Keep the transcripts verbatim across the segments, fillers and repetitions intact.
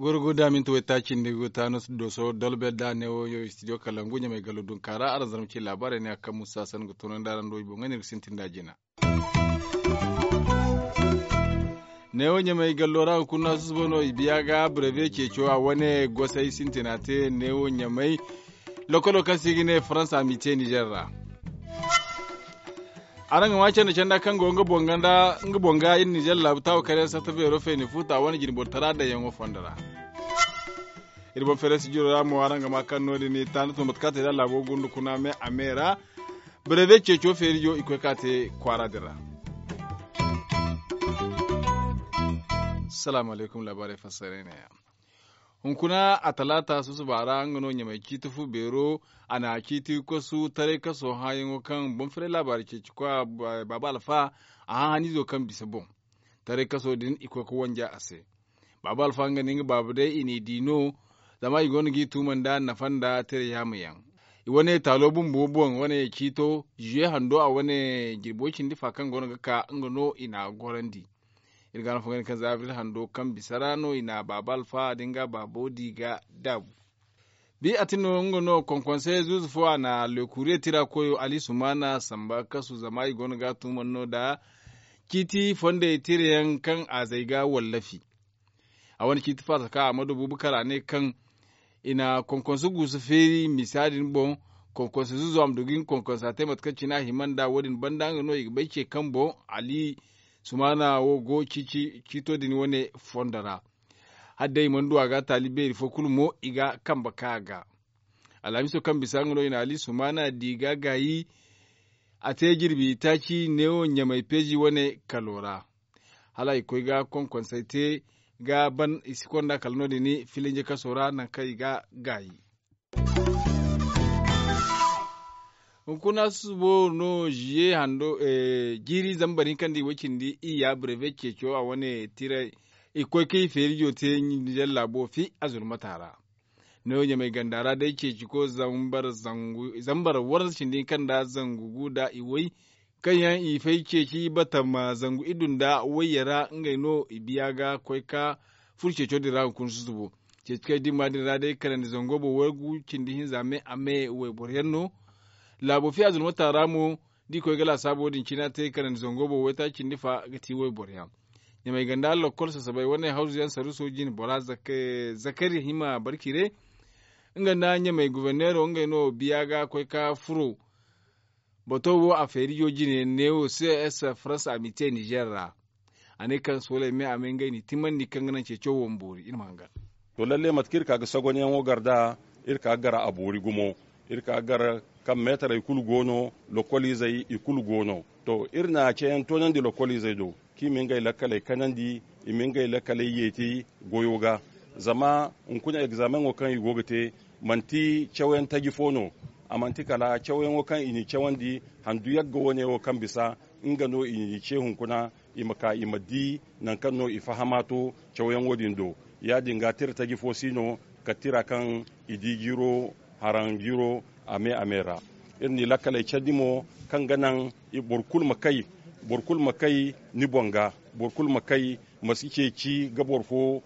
Gurgu da minti waytaaci nda guta no doso dolbe da neewo yo studio kalangu ɲamay gallo dunkaara araŋ zarma ci laabaarey ne a kaŋ musa sanni ga tunandi araŋ do i boŋ ga ne ga sintin da jina. Neewo ɲamay gallo ra hunkuna susubo no i biya ga breve ceeco a wane gosay sintina te neewo ɲamay. Lokolo kaŋ se i ga ne faransa mite nizer ra. Araŋ ga ma canda canda kaŋ go nga boŋ ga iri nizer laabu taawo kar yaŋ sarta beero feeni futa wane jine bortara daŋ yaŋo fondo ra. Iri boŋ feerasi jiro ra mo araŋ ga ma kaŋ no- din i taani tun mate kaŋ a te da laabo gundu kuna me a me ra. Breve ceeco feerijo i koy ka te kwaara din ra. Salaamu alaykum laabaarey fassaray ne ya. Hunkuna a talaata susuba ra nga no ɲamay ciiti fu beero. A na ciiti kosu taray kaso hãayaŋo kaŋ boŋ firay laabaari ceeci koya baaba alfa a hã haniizo kaŋ bisa boŋ. Taray kaso din i koy ga wanja a se. Baaba alfa nga nda nga baaba day i n'i di no. Zama i go no g'i tuuma nda nafa nda tira yaama yaŋ. I wane taalo bumbo boŋ wane ciito zuwe hando a wane jirbo cindi fa kaŋ go no ga ka nga no i n'a gorandi. Iri ga no fo ga ne kaŋ za abril hando kaŋ bisa ra no i na baaba alfa da nga baabo di ga daabu. Bi a ti no nga no konkonsey zuuzu fo a na lekuriye tira koyo ali sumaana samba kasu zama i go no ga a tuuman no nda ciiti fondey tira yaŋ kaŋ a zay ga wallafi. A wane ciiti faasa kaŋ a ma du buubu kala a ne kaŋ i na konkonse guusu feeri misa din boŋ. Konkonse zuuzu a ma du ga nga konkonsa te mate kaŋ cine a hima nd'a wo- din banda nga no i ga bay ce kaŋ boŋ ali sumaana wo go ciito din wane fondo ra. Hala day i mana du a ga taali beeri fo kulu mo i ga kambe ka a ga. Alhamiso kaŋ bisa nga no i na ali sumaana di ga gaayi. A te jirbi taaci neewo ɲamay peezi wane kalo ra. Hala i koy ga konkonsey te ga ban i si konda kala no- din filinje kaso ra nangu kaŋ i ga gaayi. Hunkuna susubo no ziye hando jiiri zambar hinka nda i way cindi iyya breve ceeco a wane tiray. I ga koy kaŋ i feerijo te nizer laabo fi azulmata ra. Neewo ɲamay ganda ra day ceeci ko zambar zangu zambar warza cindi hinka nda zangu gu nda i way kaŋ yaŋ i fay ceeci batama zangu iddu nda wayye ra ngey no i biya ga koy ka furo ceeco din ra hunkuna susubo. Ceeci kaŋ i dimma din ra day kanandi zango boŋ waygu cindi hinza me a me wayboro yaŋ no. Laabo fiya zulmata ra mo da i koy ga laasaabo din cina te kanandi zango boŋ waytaaci cindi fa ga ti wayboro yaŋ. Ɲamay ganda lakkol sasabay wane hawzu yaŋ saruso jine bora zakari hima barkire. Nga nda ɲamay guverneero ngey no biya ga koy ka furo. Bato wo a feerijo jine neewo ces faransa a m'i te nizer ra. A ne kaŋ sooley me a me ngey n'i timmandi kaŋ ga naŋ ceeco wo ma boori iri ma hangan. To lalle mate kaŋ iri ka ga sagonyaŋo gar nd'a iri ka ga gar a boori gumo. Iri ka ga gar kaŋ meetarey kulu go no. Lokkoliizey i kulu go no. To iri na ceeyaŋ toonandi lokkoliizey do kaŋ i ma ngey lakkaley kanandi, i ma ngey lakkaley yeeti goyo ga. Zama hunkuna egzaameŋo kaŋ i go ga te manti cawyaŋ taji fo no. A manti kala cawyaŋo kaŋ i n'i cawandi handu yagga wane wo kaŋ bisa nga no i n'i ce hunkuna. I ma ka i ma di nangu kaŋ no i fahama to cawyaŋo din do. Ya- din ga tira taji fo si no kala tira kaŋ i di jiro haraŋ jiro a me a me ra. Iri n'i lakkaley candi mo kaŋ ga naŋ boro kulu ma kay boro kulu ma kay ni boŋ ga. Boro kulu ma kay ma si ceeci ga boro fo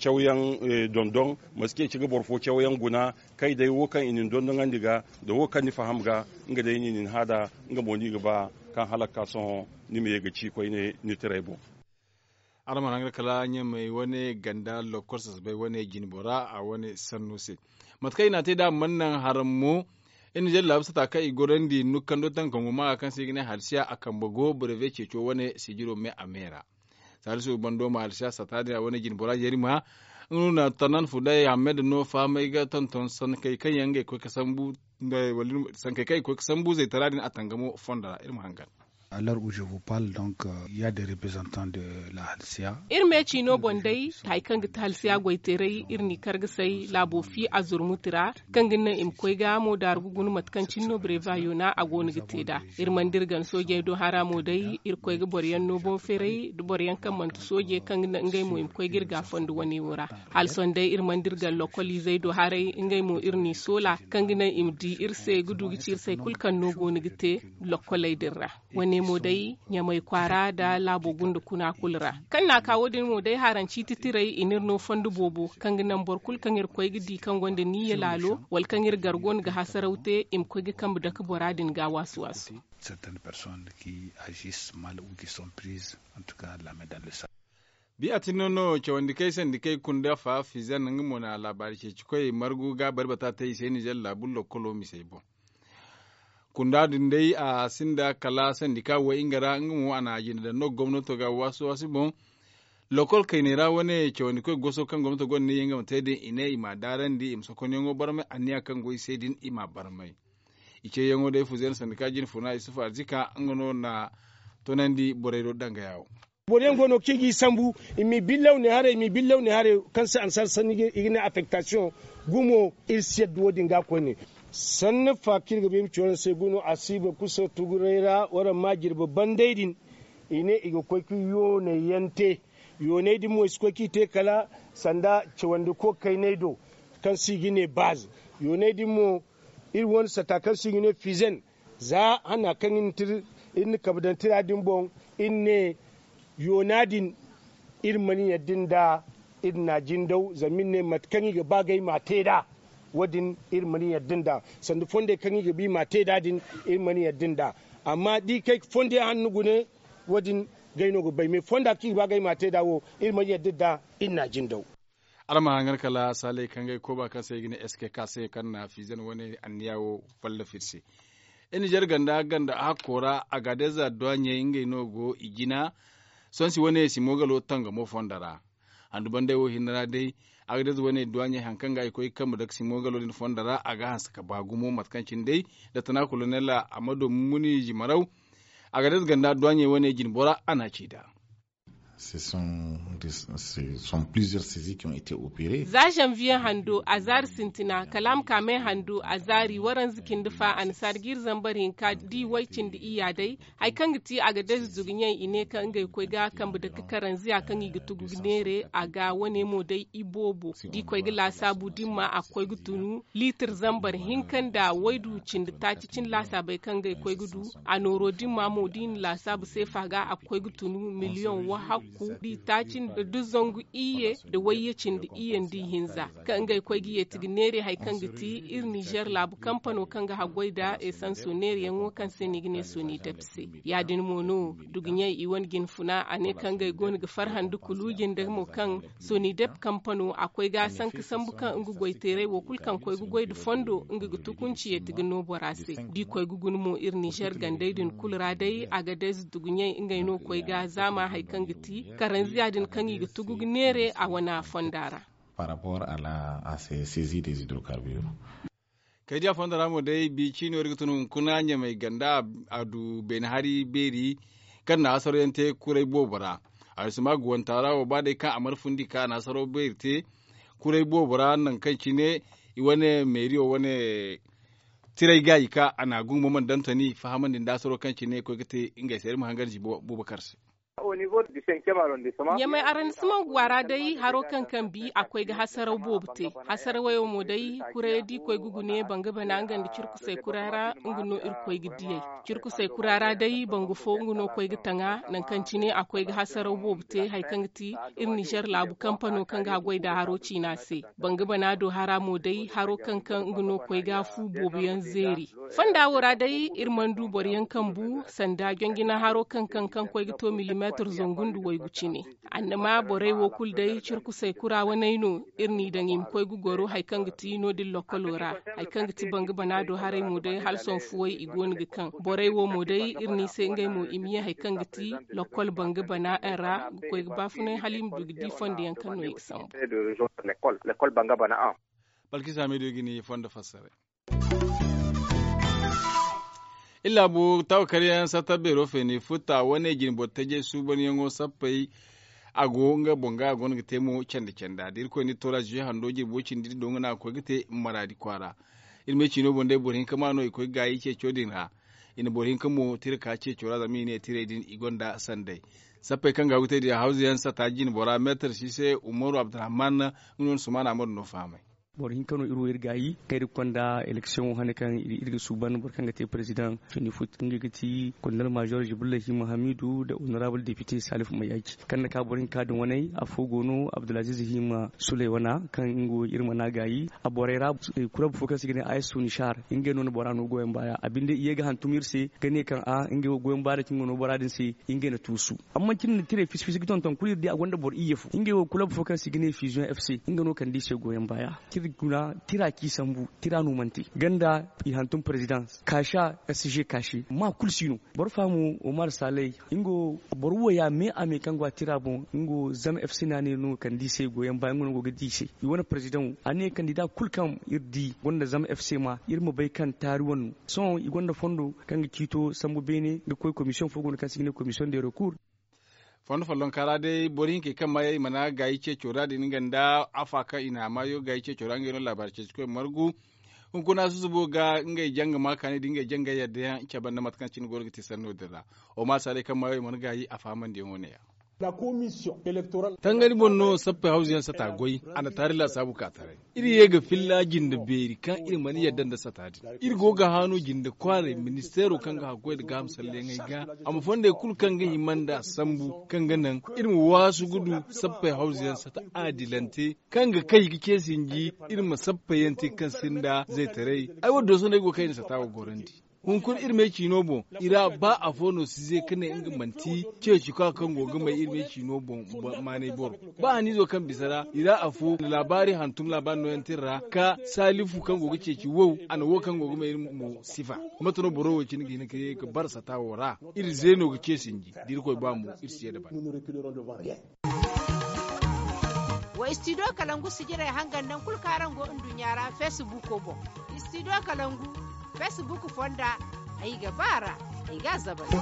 cawyaŋ dondon. Ma si ceeci ga boro fo cawyaŋ guna kay day wo kaŋ i na ni dondoŋandi ga nda wo kaŋ ni faham ga. Nga day no i na ni hã nd'a nga mo no i ga ba kaŋ hala ga ka sohõ ni ma ye ga ci koyne ni tirey boŋ. Araŋ mana haŋ ga kala ɲamey wane ganda lokkol sasabay wane jine bora a wane sanno se. Mate kaŋ i n'a te nd'a mana naŋ haraŋ mo. Iri na jalla laabu sata kaŋ i gorandi nukkando tankangu maaga kaŋ se i ga ne halsiya a kambe go breve ceeco wane sijiro me a me ra. Salisu bando ma halsiya sata din a wane jine bora jeeri ma nga no na tanan fuday hamed no fahamay ga tonton sankey kaŋ yaŋ ngey koy ga sambu sankey kaŋ i ga koy ga sambu zaytara din a tangamo fondo ra iri ma hangan. Alors où je vous parle donc, ya de representant de la halsiya. Iri me ciino boŋ day, hari kaŋ ga ti halsiya goyteeray iri n'i kargasay laabo fi a zurmuti ra, kaŋ ga naŋ i ma koy ga mo daaru ga guna mate kaŋ cine no breva yoona a go no ga te nd'a. Iri mana dira gana soojey do hara mo day, iri koy ga boro yaŋ no boŋ feeray da boro yaŋ kaŋ manti soojey kaŋ ga naŋ ngey mo i ma koy ga iri ga fondo wane wo ra. Hala sohõ day iri mana dira gana lokol izey do haray, ngey mo iri n'i soola, kaŋ ga naŋ i ma di iri se ga du ga ci iri se hari kulu kaŋ no go no ga te lokoley din ra. Wane mo day, ɲamay kwaara nda laabo gunda kuna kulu ra. Kaŋ n'a ka wo- din mo day, haranci titiray i n'iri no fondo boobo, kaŋ ga naŋ boro kulu kaŋ iri koy ga di kaŋ gonda niyya laalo, wala kaŋ iri gar go no ga hasaraw te, i ma koy ga kambe dake bora din ga waasu-waasu. Certaines personnes qui agissent mal ou qui sont prises en tout cas la main dans le sac. Biya tin no no cawandi kay sandi kay kunda fa fizan nga mo na laabaari ceeci koy margu ga bari bata te i se nizer laabu lokolo misey boŋ. Kunda din day a sinda kala sandi ka way nga ra nga mo a na a jina daŋ no gomnato ga waasi waasi boŋ. Lokol kayney ra wane cawandi koy goso kaŋ gomnato gonda ne yaŋ ga ma te din i ne i ma a daarandi i ma sokonyaŋo barmay anniya kaŋ go i se din i ma a barmay. I ceeyaŋo day fuzeena sandi ka jina funa isufu arzika nga no na tonandi borey do danga yawo. Boro yaŋ go no kaŋ i g'i sambu, i m'i billaw ne haray i m'i billaw ne haray, kaŋ se annasaara sanni i ga ne affektasiyoŋ. Gumo iri si yadda wo- din ga koyne. Sanni fa kaŋ iri ga ba iri ma ci waraŋ se guno a si boro kulu se tuguray ra waraŋ ma jirbi banday din. I ne i ga koy ga yoonay yaŋ te. Yoonay din mo i si koy kaŋ i te kala sanda cawandi ko kaynay do, kaŋ se i ga ne baazi. Yoonay din mo iri wane sata kaŋ se i ga ne fizen. Za hana kaŋ iri na kabe daŋ tira din boŋ, iri ne yoona din iri mana yadda nd'a. Iri n'a jindaw zama iri ne mate kaŋ i ga ba ga ay m'a te nd'a. Wo- din iri mana yadda nd'a. Sanda fondey kaŋ i ga ba i m'a te nd'a din, iri mana yadda nd'a. Amma da i kay fondey hanno gune, wo- din gay no ga bay me fonda kaŋ i ga ba ga ay m'a te nd'a wo, iri mana yadda nd'a. Iri n'a jindaw. Araŋ ma hangan kala saaley kaŋ ga ay kooba kaŋ se i ga ne eskeka se kaŋ na fiizan wane anniya wo fallafir se. Nizer ganda ganda a hakko ra agadez adduwaɲey ngey no go i jina. Sonsi wane simogalo tangamo fonda ra. Handu banday wo hinne ra day, agadez wane adduwaɲey hari kaŋ ga i koy ga kambe dake simogalo din fonda ra a ga hanse ka ba gumo mate kaŋ cine day, da tana kolonela amado mummuni jimaraw. Agadez ganda adduwaɲey wane jinbora a na ci nd'a. Ce sont plusieurs saisies qui ont été opérées. Za zanviye hando a zaari sintina kala a ma ka me hando a zaari waranza cindi fa annasaara jiiri zambar hinka da i way cindi iyya day. Hari kaŋ ga ti agadez duguɲey i ne kaŋ ngey koy ga kambe dake karanziya kaŋ i ga tugu ga neere a ga wane mo day iboobo da i koy ga laasaabu dimma a ga koy ga tunu liitir zambar hinka nda waydu cindi taaci cine laasaabey kaŋ ngey koy ga du. A nooro dimma mo da i na laasaabu seefa ga a ga koy ga tunu miliyoŋ wahakku da i taaci nda zangu iyye nda wayye cindi iyye nda i hinza. Kaŋ ngey koy ga yeeti ga neere hari kaŋ ga ti iri nizer laabu kampano kaŋ ga haggoy nda esanso neerayaŋo kaŋ se no i ga ne sonidep se. Ya- din mo no duguɲey i wane jinfuna a ne kaŋ ngey go no ga farhandi kuluuji nda mo kaŋ sonidep kampano a koy ga a sanka sambu kaŋ nga goyteeray wo kulu kaŋ koy ga goy nda fondo nga ga tukunci yeeti ga no bora se da i koy ga guna mo iri nizer gandey din kulu ra day agadez duguɲey ngey no koy ga zaama hari kaŋ ga ti karanziya din kaŋ i ga tugu ga neere a wane fonda ra. Par rapport à la à ces saisies des hydrocarbures. Kaydiya fondo ra mo day bi ciino iri ga tun hunkuna ɲamay ganda a du beene hari beeri kaŋ na hasarayaŋ te kuray boobo ra. Arisuma guwanta ra wo ba day kaŋ a mana fundi ka a na hasaro beeri te kuray boobo ra nangu kaŋ cine i wane meeriyo wane tiray gaayi ka a na gungu ma mana daŋ toni fahamandi nda hasaro kaŋ cine koy ga te ngey se iri ma hangar ji bubakar se. Ɲamay arrondissement guwa ra day haro kaŋ kaŋ bi a koy ga hasaraw boobo te. Hasaraw wo mo day kuray da i koy ga gune banga bana nga nda cirkusay kura ra nga no iri koy ga diyey. Cirkusay kura ra day banga fo nga no koy ga taŋa nangu kaŋ cine a koy ga hasaraw boobo te hari kaŋ ga ti iri nizer laabu kampano kaŋ ga haggoy nda haro ciina se. Banga bana do hara mo day haro kaŋ kaŋ nga no koy ga fu boobo yaŋ zeeri. Fonda wo ra day iri mana du boro yaŋ kaŋ bu sanda jonjina haro kaŋ kaŋ kaŋ koy ga to milimeetir zangu nda waygu cine. Annama borey wo kulu day cirkusay kura waney no iri n'i daŋ i ma koy ga goro hari kaŋ ga ti no- din lokolo ra. Hari kaŋ ga ti banga bana do haray mo day hala sohõ fuwey i go no ga kaŋ borey wo mo day iri n'i se ngey mo i ma ye hari kaŋ ga ti lokol banga bana ra ga koy ga baafunay hala i ma du ga di fondo yaŋ kaŋ no i ga sambu. Balkisa meediyo ga ni fondo fassare. Iri laabu tawakaryaŋ satta beero feeni futta wane jine boro tajey suubanyaŋo sappey. A go nga boŋ ga a go no ga te mo candi canda da irkoy na iri toora zuye hando jirbi wo-cindi iri do nga no a ga koy ga te maraadi kwaara. Iri me ciino boŋ day boro hinka ma no i koy ga gaayi ceeco din ra. I na boro hinka mo tira ka ceeco ra zama i ne tirey din i gonda sanday. Sappey kaŋ ga a ga te din hawzu yaŋ sata jine bora meetar si se umaru abdurrahman nga no na sumaana amadu no fahamay. Boro hinka no iri wo iri gaayi kaŋ iri ga konda eleksiyoŋo hane kaŋ iri ga suuban boro kaŋ ga te perezidaŋ fini fut ngey ga ti kondal maazor jibrila hima hamidu nda honorabul depite salif mayaaji kaŋ na ka boro hinka din waney afo go no abdulaziz hima suley wana kaŋ nga wo iri mana gaayi a borey ra. Kurab fo kaŋ se i ga ne a s nishar ngey no na bora no goyaŋ baaya a binde i ye ga hantum iri se ga ne kaŋ a ngey wo goyaŋ baaya da cine nga no bora din se. Ngey na tuusu amma cine na tirey fisi fisi ga tonton kulu iri di a gonda boro iyye fo ngey wo kulab fo kaŋ se i ga ne fiziyoŋ f c nga no kande i se goyaŋ baaya. Tira ci sambu tira no mana te ganda i hantum perezidans kaasa s g kaase ma kulu si no. Boro faamu omar saley nga wo boro wo ya me a me kaŋ go a tira boŋ nga wo zama f c no a ne no kande i se goyaŋ baaya nga no go ga di i se. I wane perezidaŋo a ne kandida kulu kaŋ iri di gonda zama f c ma iri ma bay kaŋ taari wane no. Sohõ i gonda fondo kaŋ ga ciito sambu beene ga koy komisiyoŋ fo go no kaŋ se i ga ne komisiyoŋ de rekur. Fondo follonka ra day boro hinkey kaŋ maayey i mana gaayi ceeco ra din nga nda afa kaŋ i na a maayo gaayi ceeco ra ngey no laabaari ceeci koy margu. Hunkuna susubo ga ngey janga ma kaani da ngey janga yadda yaŋ cabe nda mate kaŋ cine go no ga ti sanno din ra. Oma saaley kaŋ maayey i mana gaayi a fahamandiyaŋo ne ya. Tangari boŋ no sappey hawzu yaŋ sata goy a na taari laasaabu ka taray. Iri ye ga filla jinde beeri kaŋ iri mana yadda nda sata din. Iri go ga haanu jinde kwaaray ministeero kaŋ ga hakkoy nda gaaham salleyaŋey ga a ma fondey kulu kaŋ ga hima nda sambu kaŋ ga naŋ iri ma waasu ga du sappey hawzu yaŋ sata aadilante kaŋ ga kay ga ce sinji. Iri ma sappey yaŋ te kaŋ sinda zaytaray ay wo dooso no ay go ga kay na sata wo gorandi. Hunkuna iri me ciino boŋ i ra ba afo no si ze ka ne nga manti ceeci ka kaŋ go ga may iri me ciino boŋ maanay boro. Ba haniizo kaŋ bisa ra i ra afo laabaari hantum laabaari nooyaŋ te iri ra ka saalifu kaŋ go ga ceeci wow a na wo kaŋ go ga may iri mo sifa. Mate no boro wo cine ga hin ka ye ga bara sata wo ra iri zeeno ga ce sinji da irkoy ba mo iri si ye dabari. Wa istidiyo kalangu sijirey hangan naŋ kulu kaŋ araŋ go nduɲɲa ra feesibuuko boŋ. Istidiyo kalangu feesibuuk fonda. Ay ga ba a ra ay ga a zabari.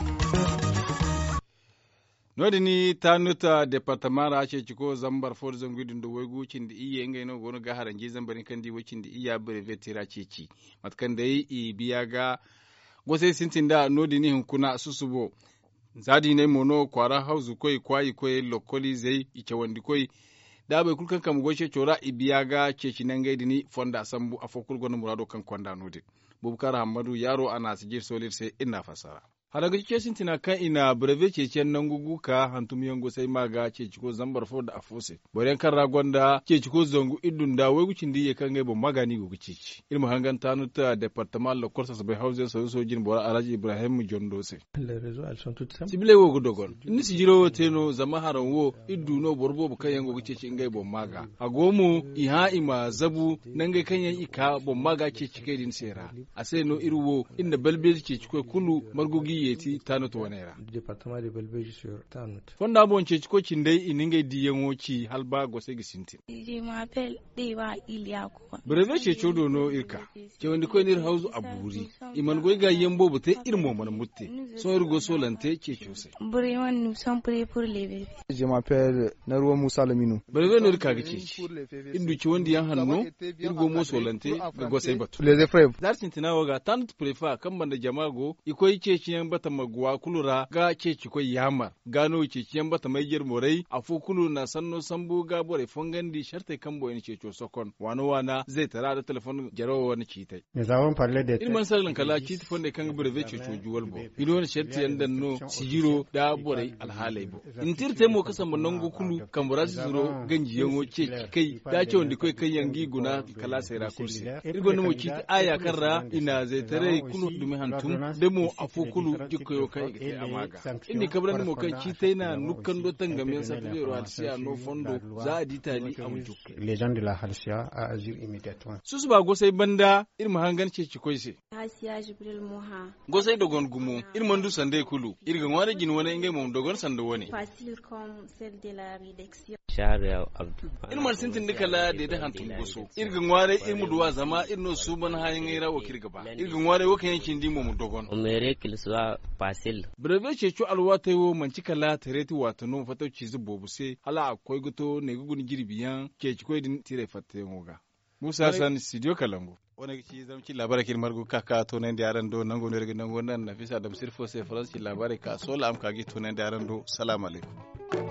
No- din taanut departama ra ceeciko zambar fo nda zangu iddu nda waygu cindi iyye ngey no go no ga haranji zambar hinka nda i way cindi iyya breveti ra ceeci. Mate kaŋ day i biya ga gosay sintin da no- din hunkuna susubo. Za diinay mo no kwaara hawzukoy kwaayikoyey lokkoliizey i cawandikoy da boro kulu kaŋ kambe goy ceeco ra i biya ga ceeci nangey din fonda sambu afo kulu gonda muraado kaŋ konda no- din. Bubakar hammadu yaaro a na a sijir sooli iri se iri n'a fassara. Hala ga ceeci sintina kaŋ i na breve ceeciyaŋ nangu gu ka hantumyaŋ gosay ma ga ceeciko zambar fo nda afo se. Boro yaŋ kaŋ ra gonda ceeciko zangu iddu nda waygu cindi iyye kaŋ ngey boŋ maaga no i go ga ceeci. Iri ma hangan taanut departama lokkol sasabay hawzu yaŋ saruuso jine bora alhaji ibrahim jondo se. Sibiley wo ga dogon. Ni na sijiro wo te no zama haraŋ wo iri du no boro boobo kaŋ yaŋ go ga ceeci ngey boŋ maaga. A go mo i hã i ma zabu nangey kaŋ yaŋ i ka boŋ maaga ceeci kay din se ra. A se no iri wo iri na balbeeji ceecikoy kulu margu g'i yeeti taanut waney ra. Fonda boŋ ceecikoy cindey i na ngey diiyaŋo ci hala ba gosey ga sintin. Breve ceeco do no iri ka. Cawandikoy no iri hawzu a buuri. I mana goy gaayiyaŋ boobo te iri mo mana mutte. Sohõ iri go soolante ceeco se. Breve no iri ka ga ceeci. Iri du cawandiyaŋ hanno. Iri go mo soolante ga gosey batu. Za iri sintina wo ga taanut prefa kaŋ banda jama go i koy ceeciyaŋ batama guwa kulu ra ga ceecikoy yaamar. Ga no ceeciyaŋ batamey jer borey afo kulu na sanno sambu ga borey fongandi sartey kaŋ boŋ i na ceeco sokon waana waana zaytara nda telefon jarawo wane ciitey. Iri mana salaŋ kala ciiti fondey kaŋ ga breve ceeco juwal boŋ. I no wane sartiyaŋ daŋ no sijiro nda borey alhaaley boŋ. I na te iri te mo ga samba nangu kulu kambe ra si zuro ganjiyaŋo ceeci kay da cawandikoy kaŋ yaŋ g'i guna kalaasey ra kulu se. Iri gonda mo ciiti aaya kaŋ ra i na zaytaray kulu dumi hantum da mo afo kulu jikkoyo kaŋ i ga te a ma ga. Iri n'i kabrandi mo kaŋ ciitay na nukkando tangamyaŋ sarta beero halsiya no fondo za a di taali a ma jukka. Susuba gosay banda iri ma hangan ceecikoy se. Gosey dogon gumo, iri mana du sandey kulu. Iri ga ŋwaaray jine wane ngey mo ma dogon sanda wane. Iri mana sintin da kala deede hantum goso. Iri ga ŋwaaray iri ma duw'a zama iri no suuban hããyaŋey ra wo kaŋ iri ga ba. Iri ga ŋwaaray wo kaŋ yaŋ cindi mo ma dogon. Breve ceeco alwaatey wo manti kala tareeti waati no fattaw ciize boobo se hala a ga koy ga to ne ga guna jirbi yaŋ ceeci koy din tiray fattayaŋo ga. Muusa hassan studio kalangu. Wane ga ci zama ci laabaarey kaŋ iri margu ga ka ka toonandi araŋ do nango no iri ga nango naŋ nafisa dam sirfo se faransi laabaarey ka soola a ma ka ga i toonandi araŋ do. Salaamu alaykum.